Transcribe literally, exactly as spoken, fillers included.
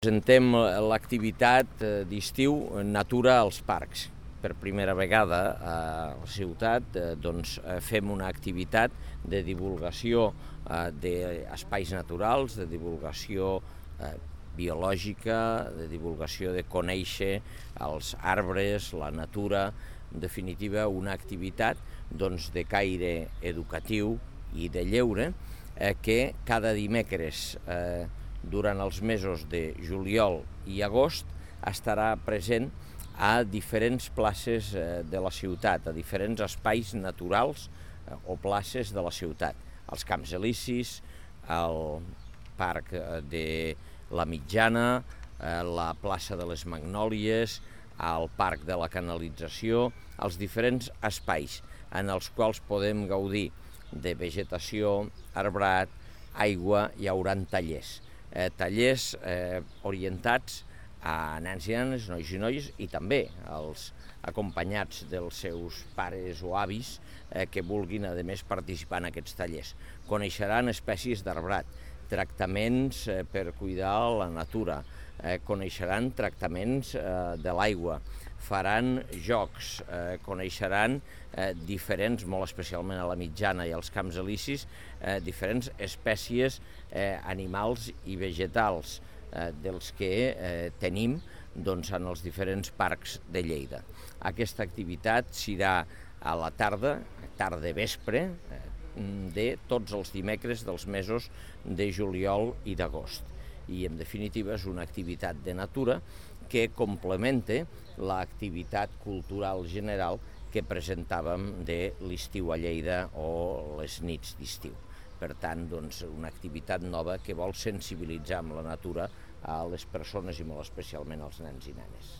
Presentem l'activitat d'estiu Natura als parcs. Per primera vegada a la ciutat doncs, fem una activitat de divulgació d'espais naturals, de divulgació biològica, de divulgació de conèixer els arbres, la natura, en definitiva una activitat doncs, de caire educatiu i de lleure eh, que cada dimecres eh, durant els mesos de juliol i agost estarà present a diferents places de la ciutat, a diferents espais naturals o places de la ciutat. Als Camps Elisis, al Parc de la Mitjana, la plaça de les Magnòlies, al Parc de la Canalització, als diferents espais en els quals podem gaudir de vegetació, arbrat, aigua. Hi haurà tallers. Eh, tallers eh, orientats a nens i nenes, nois i noies, i també els acompanyats dels seus pares o avis eh, que vulguin, a més, participar en aquests tallers. Coneixeran espècies d'arbrat, tractaments eh, per cuidar la natura, eh, coneixeran tractaments eh, de l'aigua, faran jocs, eh, coneixeran eh, diferents, molt especialment a la Mitjana i als Camps Elisis, eh, diferents espècies eh, animals i vegetals eh, dels que eh, tenim doncs, en els diferents parcs de Lleida. Aquesta activitat serà a la tarda, tarda-vespre, eh, de tots els dimecres dels mesos de juliol i d'agost. I, en definitiva, és una activitat de natura que complementa l'activitat cultural general que presentàvem de l'estiu a Lleida o les nits d'estiu. Per tant, doncs, una activitat nova que vol sensibilitzar amb la natura a les persones i molt especialment als nens i nenes.